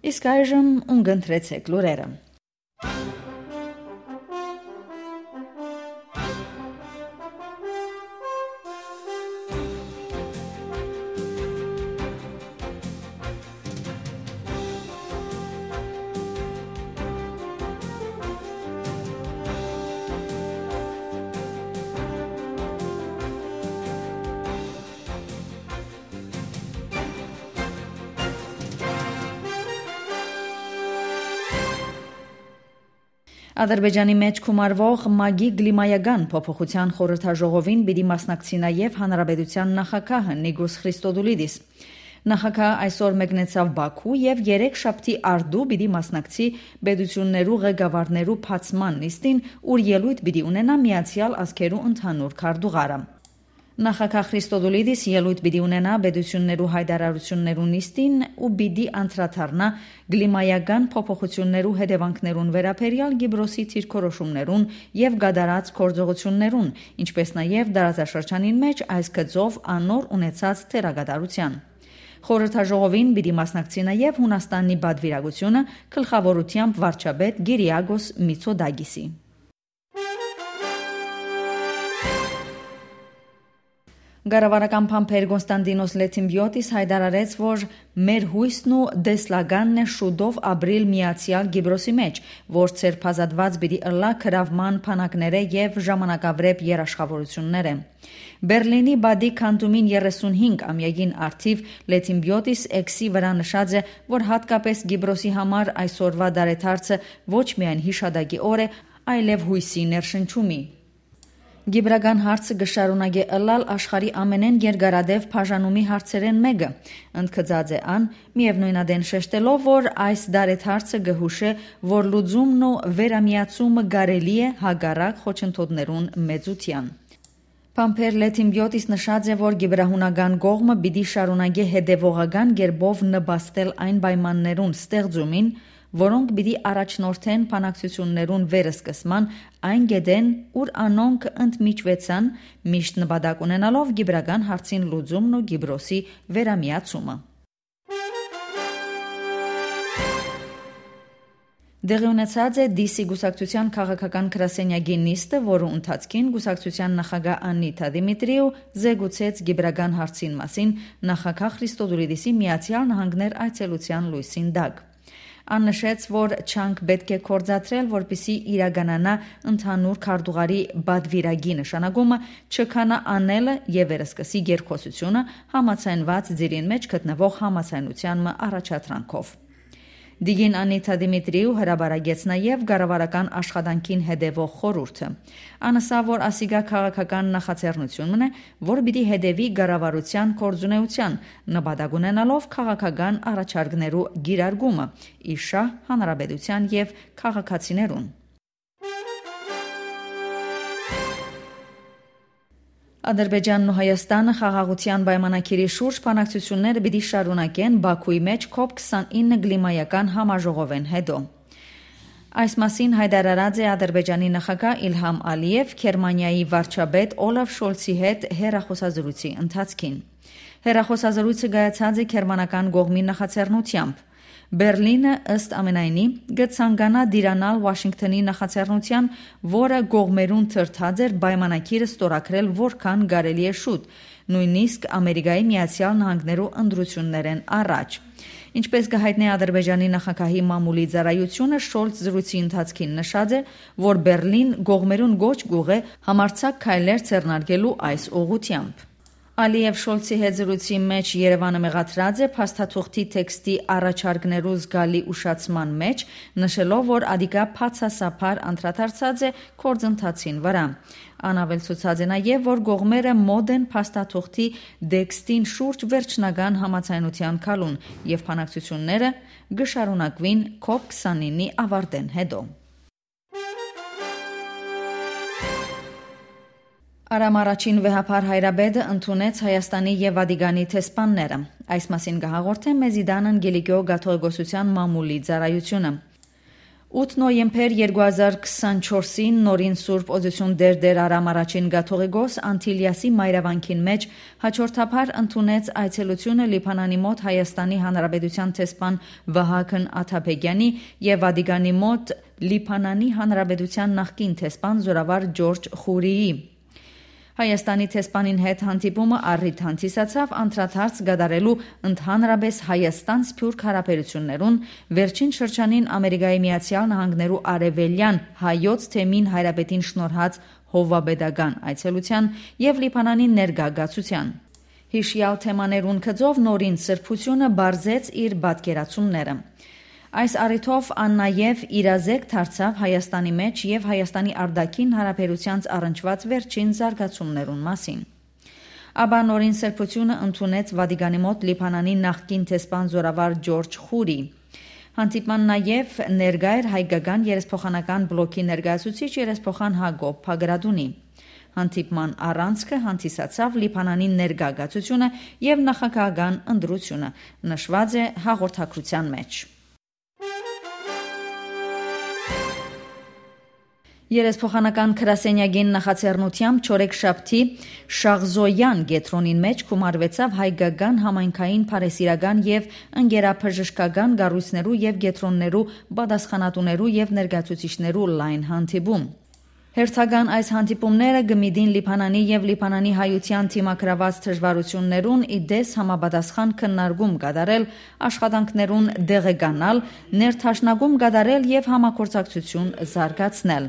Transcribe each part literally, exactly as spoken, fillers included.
Իսկ այժմ ունգընտրեցեք լուրերը։ Ադրբեջանի մեջ կումարվող ՄԱԳ-ի կլիմայական փոփոխության խորհրդաժողովին պիտի մասնակցի նաև Հանրապետության նախագահը Նիգոս Խրիստոդուլիդիս։ Նախագահը այսօր մեկնեցավ Բաքու եւ երեք շաբթի արդու պիտի մասնակցի պետություններու ղեկավարներու փացման նիստին, ուր ելույթ պիտի ունենա Միացյալ Ազգերու ընդհանուր քարտուղարը։ Նախագահ Խրիստոդուլիդիս ելույթ պիտի ունենա պետություններու հայտարարություններու նիստին ու պիտի անդրադառնա կլիմայական փոփոխություններու հետևանքներուն վերաբերյալ Կիպրոսի դիրքորոշումներուն եւ գադարած գործողություններուն, ինչպես նաեւ դարաշրջանին մեջ այս գծով անոր ունեցած թերագադարության։ Խորհրդաժողովին պիտի մասնակցի նաև Հունաստանի բադվիրագությունը գլխավորությամբ վարչապետ Գիրիագոս Միցոդագիսի։ Գարավարական փամփեր Կոնստանտինոս Լեթիմբիոտիս հայտարարեց, որ մեր հույսն ու դեսլագանն է շուտով ապրիլ Միացյալ Կիպրոսի մեջ, որ ցերփազատված պիտի ըլլա քրավման փանակները եւ ժամանակավրեպ երաշխավորությունները։ Բերլինի բադի քանտումին երեսունհինգ ամյակին արդիվ Լեթիմբիոտիս էքսի վրա նշած է, որ հատկապես Կիպրոսի համար այսօրվա դարեթարցը ոչ միայն հիշադակի օր է, այլև հույսի ներշնչումի։ Գիբրական հարցը գշարունակե ըլլալ աշխարհի ամենեն երկարադեպ բաժանումի հարցերեն մեկը, ընդգծած է ան, միևնույնադեն շեշտելով, որ այս դարեթարցը գհուշե, որ լուծումն ու վերամիացումը կարելի է հագարակ խոչընդոտներուն մեծության։ Փամփեր Լեթիմբիոտիս նշած է, որ գիբրահունական կողմը պիտի շարունակե հետևողական կերպով նպաստել այն պայմաններուն ստեղծումին, որոնք պիտի առաջնորդեն բանակցություններուն վերսկսման այն գետեն, ուր անոնք ընդմիջվեցան, միշտ նպատակ ունենալով գիբրական հարցին լուծումն ու Կիպրոսի վերամիացումը։ Դեղի ունեցած է Դիսի գուսակցության քաղաքական գրասենյակի նիստը, որու ընթացքին գուսակցության նախագահ Աննիտա Դիմիտրիու զեկուցեց գիբրական հարցին մասին նախագահ Խրիստոդուլիդիսի Միացյալ Նահանգներ այցելության լույսին տակ։ Ան նշեց, որ չանք պետք է կործատրել, որպիսի իրականանա ընդհանուր քարտուղարի բադվիրագի նշանակումը, չքանա անելը եւ վերսկսի երկխոսությունը համացանված ձիրին մեջ գտնվող համացանության առաջադրանքով։ Դիգին Աննիտա Դիմիտրիու հրաբարագեց նաև գարավարական աշխատանքին հետևող խորհուրդը։ Անասա, որ ասիգա քաղաքական նախաձեռնությունն է, որ պիտի հետևի գարավարության կորձունեության, նպատակ ունենալով քաղաքական առաջարկներու գիրարգումը, իշահ հանրապետության եւ քաղաքացիներուն։ Ադրբեջանն ու Հայաստանը խաղաղության պայմանագիրի շուրջ բանակցությունները պիտի շարունակեն Բաքուի մեջ կոպ քսանինը կլիմայական համաժողովեն հետո։ Այս մասին հայտարարած է Ադրբեջանի նախագահ Իլհամ Ալիև Գերմանիայի վարչապետ Օլաֆ Շոլցի հետ հեռախոսազրույցի ընթացքին։ Հեռախոսազրույցը կայացած է գերմանական կողմի նախաձեռնությամբ։ Բերլինը ըստ ամենայնի գցանգանա դիրանալ Վաշինգտոնի նախաձեռնության, որը կողմերուն թրթած էր պայմանագիրը ստորագրել որքան կարելի է շուտ, նույնիսկ Ամերիկայի Միացյալ Նահանգներու ընտրություններեն առաջ։ Ինչպես կհայտնի Ադրբեջանի նախագահի մամուլի ծառայությունը, Շոլց զրույցի ընթացքին նշած է, որ Բերլին կողմերուն գոչ գուղ է համարձակ քայլեր ձեռնարկելու այս ուղղությամբ։ Ալիև Շոլցի հետ զրույցի մեջ Երևանը մեղադրած է փաստաթուղթի տեքստի առաջարկներու զգալի ուշացման մեջ, նշելով, որ ադիկա բացասաբար անդրադարձած է գործընթացին վրա։ Անավելցուցած է նաև, որ կողմերը մոտ են փաստաթուղթի տեքստին շուրջ վերջնական համաձայնության քալուն եւ բանակցությունները կշարունակվին կոպ քսանինի ավարտեն հետո։ Արամ առաջին վեհապար հայրաբեդը ընդունեց Հայաստանի եւ Վատիկանի տեսփանները։ Այս մասին կհաղորդե մեզի Դան Անգելիկո Գաթողիկոսության մամուլի ծառայությունը։ ութ նոյեմբեր երկու հազար քսանչորսին նորին Սուրբ Օձություն դեր դեր Արամ առաջին Գաթողիկոս Անտիլիասի մայրավանքին մեջ հաջորդաբար ընդունեց այցելությունը Լիբանանի մոտ Հայաստանի Հանրապետության տեսփան Վահագն Աթաբեկյանի եւ Վատիկանի մոտ Լիբանանի Հանրապետության նախկին տեսփան Զորավար Ջորջ Խուրիի։ Հայաստանի տեսփանին հետ հանդիպումը առիթ հանդիսացավ անդրադարձ կատարելու ընդհանրապես Հայաստան-Սփյուռք հարաբերություններուն վերջին շրջանին Ամերիկայի Միացյալ Նահանգներու արևելյան հայոց թեմին հայրապետին շնորհած հովվապետական այցելության եւ Լիբանանի ներգաղացության։ Հիշյալ թեմաներուն գծով նորին սրբությունը բարձեց իր պատկերացումները։ Այս առիթով ան նաև իրազեկ դարձավ Հայաստանի մեջ եւ Հայաստանի արտաքին հարաբերությանց առնչված վերջին զարգացումներուն մասին։ Ապա նորին սրբությունը ընդունեց Վատիկանի մոտ Լիբանանի նախկին տեսփան Զորավար Ջորջ Խուրի։ Հանդիպման նաև ներկա էր հայկական երեսփոխանական բլոկի ներկայացուցիչ երեսփոխան Հակոբ Փագրադունի։ Հանդիպման առանցքը հանդիսացավ Լիբանանի ներգաղացությունը եւ նախագահական ընտրությունը, նշված է հաղորդակցության մեջ։ Երեսփոխանական գրասենյակին նախաձեռնությամբ չորեքշաբթի Շաղզոյան գետրոնին մեջ գումարվեցավ հայկական համայնքային փարեսիրական եւ ընկերաբժշկական կառույցներու եւ գետրոններու պատասխանատուներու եւ ներկայացուցիչներու լայն հանդիպում։ Հերթական այս հանդիպումները գմիդին Լիբանանի եւ Լիբանանի հայության թիմակրաված դժվարություններուն իդես համապատասխան քննարկում կատարել, աշխատանքներուն դեղեկանալ, ներդաշնակում կատարել եւ համագործակցություն զարգացնել։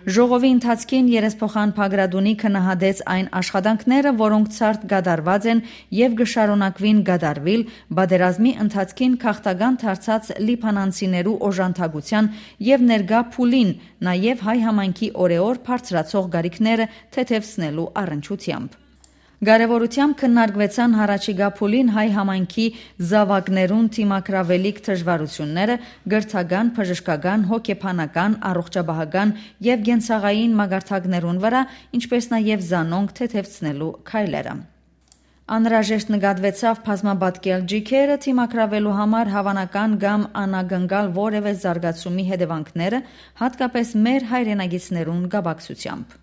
Ժողովի ընթացքին երեսփոխան Փագրադունի քննադեց այն աշխատանքները, որոնք ցարտ կատարված են եւ կշարունակվին կատարվել բادرազմի ընթացքին քաղաքական դարձած լիբանանցիներու օժանդակության եւ ներգա փուլին, նաեւ հայ համայնքի օրեօր բարձրացող գարիքները թեթևացնելու առընչությամբ։ Կարևորությամբ քննարկվեցան հարաճիգա փուլին հայ համայնքի զավակներուն թիմակրավելիք դժվարությունները, գրթական, բժշկական, հոգեբանական, առողջապահական եւ գենցաղային մագարտակներուն վրա, ինչպես նաեւ զանոնք թեթևացնելու քայլերը։ Անհրաժեշտ նկատվեցավ բազմապատկել ջիքերը թիմակրավելու համար հավանական կամ անագնկալ որևէ զարգացումի հետևանքները, հատկապես մեր հայրենագիցներուն կապակցությամբ։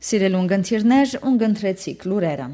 Սիրելուն գընթիրներ, ունգընտրեցիք լուրերը։